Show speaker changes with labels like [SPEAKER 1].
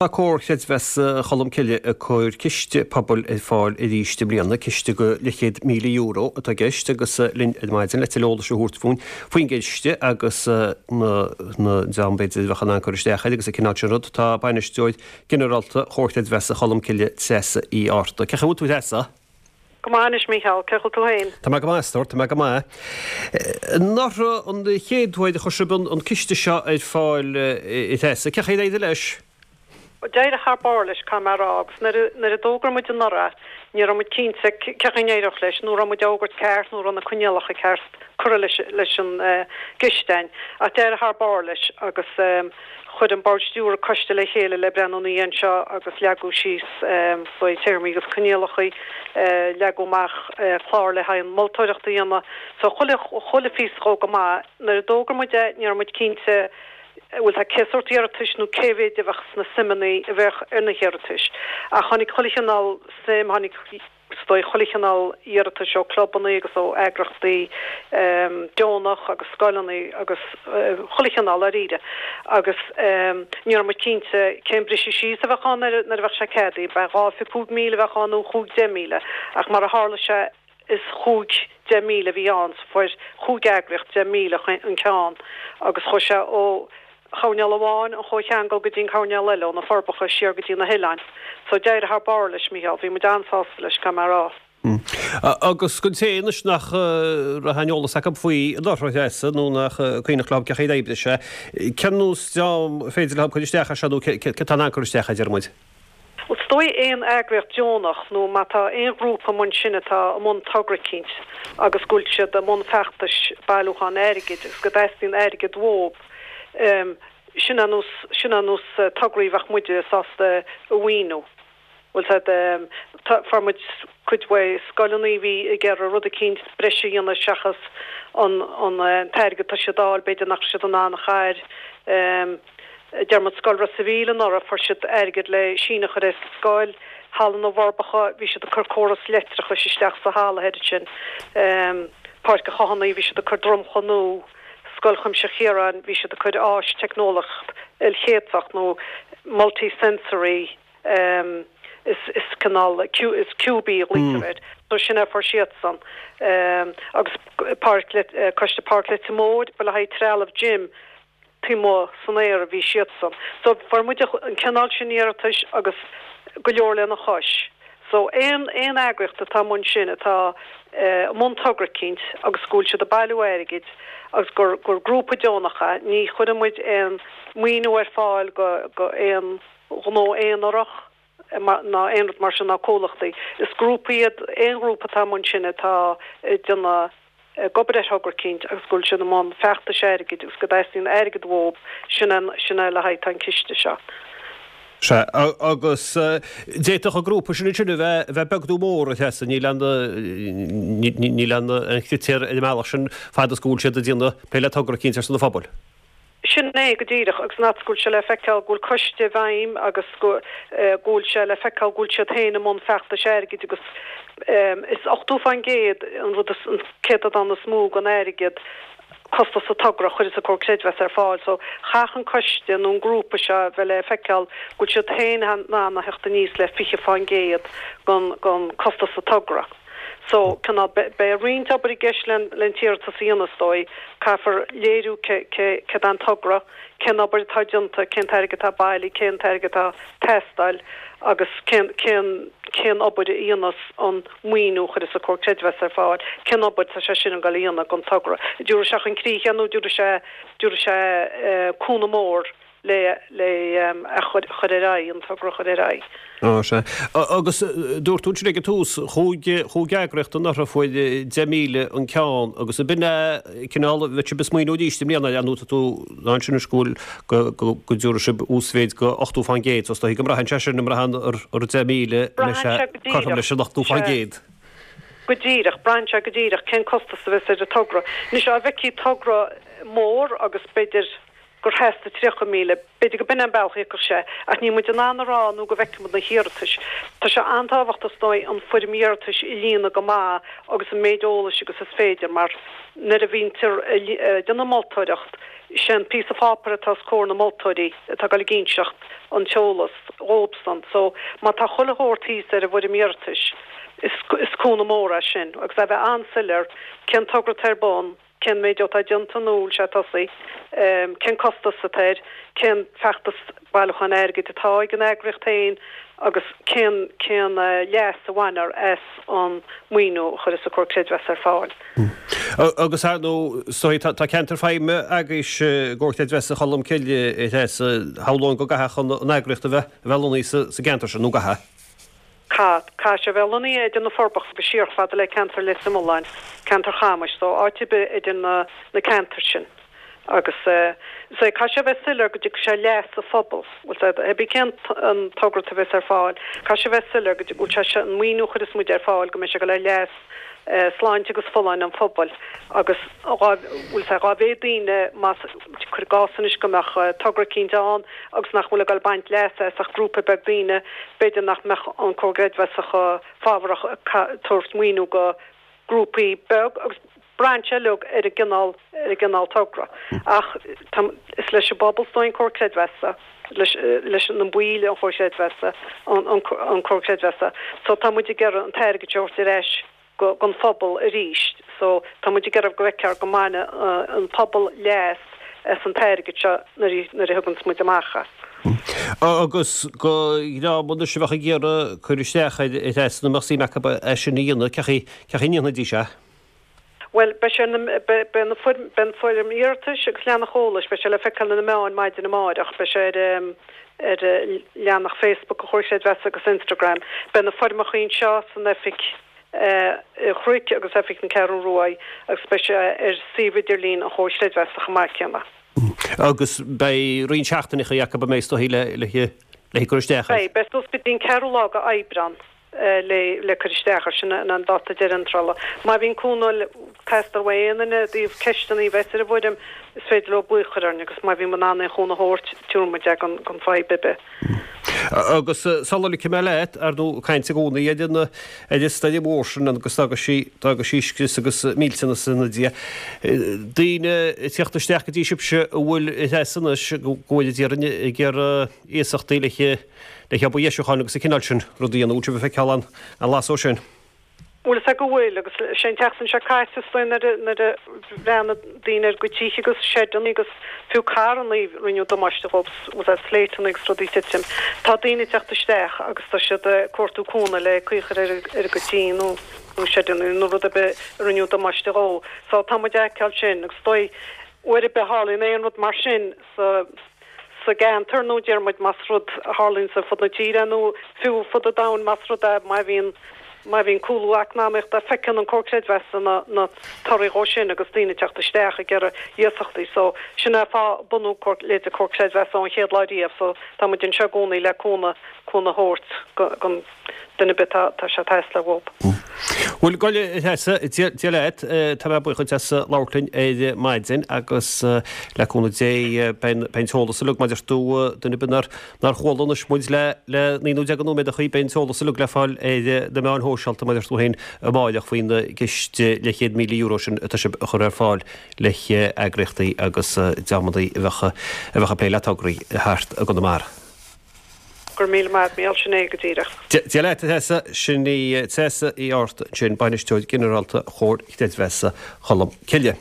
[SPEAKER 1] Tá Comhar Creidmheasa Cholmcille ag cur ciste pobail ar fáil arís i mbliana, ciste go leathchéad €1,000 atá i gceist agus linn ar maidin le tuilleadh eolais a thabhairt fúinn faoin gciste agus na dream b'fhéidir a bheadh in ann cur isteach air agus an cineál sin rud. Tá Bainisteoir Ginearálta Chomhar Creidmheasa Cholmcille, Treasa Uí Fhátharta. Cén chaoi a bhfuil tú a Threasa?
[SPEAKER 2] Go maith anois, Mícheál. Cén chaoi a bhfuil tú féin?
[SPEAKER 1] Tá mé go maith, a stór, tá mé go maith. Anuraidh an chéad uair a chuir sibh an ciste seo ar fáil, a Threasa, cén chaoi ar éirigh leis?
[SPEAKER 2] D'éirigh thar barr leis, caithfidh mé a rá, agus nuair a, nuair a d'fhógair muid anuraidh, ní raibh muid cinnte cén chaoi a n-éireodh leis, nó raibh muid á fhógairt ceart, nó raibh na coinníollacha ceart curtha leis, leis an gciste a'inn. Ach d'éirigh thar barr leis agus. Chuir an Bord Stiúrtha coiste le chéile le breathnú ina dhiaidh anseo agus leagadh síos faoi téarmaí agus coinníollacha, leagadh amach clár le haghaidh an mholtóireacht a dhéanamh. So chuile, chuile phíosa dhó go maith. Nuair a d'fhógair muid é ní raibh muid cinnte bhfuil tá cé sórt iarratais nó cé mhéid a bheadh sna suimeanna a bheadh ar na hiarratais. Ach tháinig chuile chineál suim, tháinig. Is dóigh chuile chineál iarratais ó clubannaí agus ó eagrachtaí deonach agus scoileanna agus chuile chineál dáiríre. Agus ní raibh muid cinnte cén briseadh síos a bheadh ann nuair a bheadh sé ceadaithe, ab ea 2 5,000 a bheadh ann nó 5 10,000. Ach mar a tharla sé is 5 10,000 a bhí ann so fuair chúig eagraíocht 10,000 an ceann agus chuaigh sé ó choirnéal amháin an chomhcheangal go dtí an coirnéal eile, ó na Forbacha siar go dtí na hoileáin. So d'éirigh thar barr leis, Mícheál. Bhí muid an-sásta leis, caithfidh mé a rá.
[SPEAKER 1] Agus don té anois nach raibh aon eolas acu faoi anuraidh, a Threasa, nó nach cuimhneach leo cén chaoi ar oibrigh sé, cén nós dream ar féidir leo cur isteach air seo nó cé atá in ann cur isteach air, deir muid?
[SPEAKER 2] Bhuel, is dóigh aon eagraíocht deonach nó má tá aon ghrúpa i mbun sin atá i mbun togra eicínt agus go bhfuil siad i mbun feachtais bailiúchán airgid agus go dteastaíonn airgead uathu, sin é nós, sin é nós tograí a bheadh muide sásta a mhaoiniú. Bhfuil a fhios a'd, tá, fuair muid cuid mhaith scoileanna a bhí ag iarraidh rud eicínt breise a dhéanamh seachas an, an t-airgead atá siad a fháil, b'fhéidir nach raibh siad in ann a chur. Deir muid Scoil Ros a' Mhíl anuraidh, fuair siad airgead le síneadh a chur ar an scoil, Halla na bhForbacha, bhí siad ag cur córas leictreachais isteach sa halla thoir ansin, Páirc an Chathánaigh, bhí siad ag cur dromchla nua, Scoil Chuimsitheach Chiaráin, bhí siad ag cur áis teicneolaíocht ilchéadfach nó multi-sensory is is cineál is Cubie a ghlaoitear air, so sin é a fuair siadsan. Agus Páirc Coiste Páirc Leitir Móir, ba le haghaidh trealamh gym, taobh amuigh san aer a bhí siadsan. So fuair muid an cineál sin iarratais agus go leor lena chois. So aon aon eagraíocht atá i mbun sin, atá i mbun togra eicínt agus go bhfuil siad ag bailiú airgid agus gur gur grúpa deonach é, ní chuireann muid aon maoiniú ar fáil go go aon ghnó aonarach ná aon rud mar sin ná comhlachtaí. Is grúpa iad aon ghrúpa atá i mbun sin atá ag déanamh ag obair ar thogra eicínt agus go bhfuil siad i mbun feachtais airgid agus go dteastaíonn airgead uathu, sin é, sin é le haghaidh atá an ciste seo.
[SPEAKER 1] Sea, agus d'fhéadfadh an grúpa sin ansin a bheith, a bheith beag nó mór, a Threasa, níl aon, níl aon chritéar ar an mbealach sin fad is go bhfuil siad ag déanamh plé le togra eicínt ar son an phobail.
[SPEAKER 2] Sin é go díreach, agus an fhad is go bhfuil sé le feiceáil go bhfuil coiste i bhfeidhm agus go bhfuil sé le feiceáil go bhfuil siad féin i mbun feachtais airgid agus is 80% an rud is, an céatadán is mó den airgead, costas an togra a chuireas an Comhar Creidmheasa ar fáil. So chaithfeadh an coiste nó an grúpa seo a bheith le feiceáil go bhfuil siad féin in ann a theacht aníos le 20% den, den costas an togra. So, cineál, beidh roinnt obair i gceist le an t-iarratas a dhéanamh is dóigh. Caithfear léiriú céard é an togra, cén obair atá déanta, cén t-airgead atá bailithe, cén t-airgead atá ag teastáil agus cén, cén, cén obair a dhéanfas an maoiniú a chuirfeas an Comhar Creidmheasa ar fáil, cén obair atá sé sin ag dul a dhéanamh don togra. An dtabharfaidh sé chun críche é nó an dtabharfaidh sé, dtabharfaidh sé cúnamh mór le le a chur ar aghaidh, an togra a chur ar aghaidh.
[SPEAKER 1] Á, sea. Agus dúirt tú ansin ag an tús, chúig, chúig eagraíocht anuraidh fuair 10,000 an ceann agus ab in é cineál, bheadh sibh ag smaoineamh arís i mbliana ar nó tá tú ansin anois go bhfuil, go, go, go dtabharfaidh sibh uasmhéid go 80% so is dóigh go mbraitheann sé sin, an mbraitheann ar, ar 10,000
[SPEAKER 2] Braitheann sé go
[SPEAKER 1] cothrom leis an
[SPEAKER 2] 80%. Go díreach, braitheann sé go díreach cén costas a bheas ar an togra. Anois, dá bhfeicfí togra mór agus b'fhéidir. gur theastaigh 30,000, b'fhéidir go b'in é an bealach a thiocfadh sé, ach níl muid in ann a rá nó go bhfeicfidh muid na hiarratais. Tá sé an-tábhachtach is dóigh an foirm iarratais a líonadh go maith agus an méid eolais agus is féidir mar nuair a bhítear ag déanamh moltóireacht, sé an píosa pháipéir atá os comhair na moltóirí atá ag dul ag inseacht an t-eolas dhóibhsan. So má tá chuile shórt thíos ar an bhfoirm iarratais, is is cúnamh mór é sin agus é a bheith an-soiléir cén togra atá ar bun, cén méid atá déanta nó bhfuil sé tosaithe, cén costas atá air, cén feachtas bailiúcháin airgid atá ag an eagraíocht féin agus cén cén leas a bhainfear as an maoiniú a chuirfeas an Comhar Creidmheasa ar fáil.
[SPEAKER 1] Agus ar ndóigh, is dóigh, tá ceantar feidhme agaibhse i gComhar Creidmheasa Cholm Cille, a Threasa, shamhlóinn go gcaithfeadh an eagraíocht a bheith a bheith lonnaithe sa gceantar sin, nó an gcaithfeadh?
[SPEAKER 2] Caithfidh. Caithfidh sé a bheith lonnaithe idir na Forbacha agus siar chomh fada le ceantar Leitir Mealláin, ceantar Chamais, so áit ar bith idir na na ceantair sin. Agus is é, caithfidh sé a bheith soiléir go dtiocfaidh sé ar leas an phobail. Bhfuil sé, hé bí cén an togra a bheas ar fáil, caithfidh sé a bheith soiléir go bhfuil sé seo, an maoiniú a chuireas muid ar fáil, go mbeidh sé ag dul ar leas sláinte agus folláine an phobail agus dhá, bhfuil sé, dhá mhéad daoine más, cuir i gcás anois go mbeadh togra eicínt ann agus nach bhfuil ag dul ag baint leasa as ach grúpa beag daoine, b'fhéidir nach mbeadh an Comhar Creidmheasa chomh fabhrach ag tabhairt maoiniú go grúpaí beag agus braitheann sé uilig ar an gcineál, ar an gcineál togra. Ach tá, is leis an bpobal is dóigh an Comhar Creidmheasa, leis, leis na baill an Chomhair Chreidmheasa, an, an, an Comhar Creidmheasa. So tá muid ag iarraidh an t-airgead seo a thabhairt ar ais go, don phobal arís. So tá muid ag iarraidh go bhfeicfear go mbaineann an pobal leas as an t-airgead seo nuair a, nuair a thuganns muid amach é.
[SPEAKER 1] Agus do dhream anois a bheadh ag iarraidh cur isteach air, a Threasa, nó a mbeadh suim acu é sin a dhéanamh, cén chaoi, cén chaoi a ndéanfaidís é?
[SPEAKER 2] Bhuel, beidh sé na, beidh, beidh na foirm, beidh an foirm iarratais agus leathanach eolais, beidh sé le feiceáil ar na meáin maidin amáireach, beidh sé ar, ar leathanach Facebook an Chomhair Chreidmheasa agus Instagram. Beidh na foirmeacha anseo san oifig an Chnoic agus oifig na Ceathrún Ruaidh agus beidh sé ar suíomh idirlín an Chomhair Chreidmheasa chomh maith céanna.
[SPEAKER 1] Agus beidh roinnt seachtaineacha acu an mbeidh is dóigh le, le, le cur isteach air.
[SPEAKER 2] Beidh, beidh suas go dtí an ceathrú lá de Aibreán. le cur isteach air. Sin an dáta deiridh iontrála. Má bhíonn cúnamh ag teastáil ó aon duine i dtaobh ceisteanna a bheas ar an bhfoirm, is féidir leo glaoch a chur orainn agus má bhíonn muid in ann aon chúnamh a thabhairt, tabharfaidh muid é gan fadhb ar bith.
[SPEAKER 1] Agus sula ligfidh mé leat, ar ndóigh, ag caint i gcónaí ar an ar an stoirm mhór sin agus d'fhága sí d'fhága sí scrios agus millteanas ina diaidh. Daoine ag tíocht isteach go dtí sibhse an bhfuil a Threasa anois go bhfuil ag iarraidh ag iarraidh iasachtaí le le hobair dheisiúcháin agus an cineál sin rud a dhéanamh. Bhfuil sibh ag feiceáil an an lasadh sin?
[SPEAKER 2] Bhuel, is ea go bhfuil, agus sé an tseachtain seo caite is dóigh nuair a nuair a bhreathnaigh daoine ar a gcuid tithe agus seideanna agus fiú carranna rinneadh damáiste dhóibh, was that slateanna agus rudaí ag titim. Tá daoine ag teacht isteach agus tá siad ag cuartú cúnamh le caoi a chur ar ar a gcuid tí nó nó seideanna nó rud ar bith a rinneadh damáiste dhó. So tá muid ag feiceáil sin agus is dóigh uair ar bith a tharlaíonn aon rud mar sin sa sa gceantar nó deir muid más rud a tharlaíonn ar fud na tíre nó fiú fud an domhain más rud é má bhíonn má bhíonn cúlú eacnamaíochta feiceann an Comhar Creidmheasa na na torthaí dhó sin agus daoine ag teacht isteach ag iarraidh iasachtaí so sin é fáth bunú Comhar leithéid Comhar Creidmheasa ón chéad lá riamh so tá muid anseo i gcónaí le cúnamh cúnamh a thabhairt go don duine ar bith atá tá sé ag teastáil uathu.
[SPEAKER 1] Bhuel, gabh i leith, a Threasa, Dia leat, tá mé buíoch duit as labhairt linn ar maidin agus le cúnamh Dé beidh an t-eolas uilig mar a deir tú, duine ar bith nár nár chuala anois muid le le 19 nóiméad a chaoi, beidh an t-eolas uilig le fáil ar na meáin shóisialta mar a deir tú féin amáireach faoin gciste leathchéad €1,000 sin atá sibh a chur ar fáil le heagraíochtaí agus dreamanna a bheadh a bheadh ag plé le tograí thart i gConamara.
[SPEAKER 2] Go raibh míle maith agat, Mícheál, sin é go díreach.
[SPEAKER 1] Dia leat, a Threasa. Sin í Treasa Uí Fhátharta ansin, Bainisteoir Ginearálta Chomhar Creidmheasa Cholm Cille.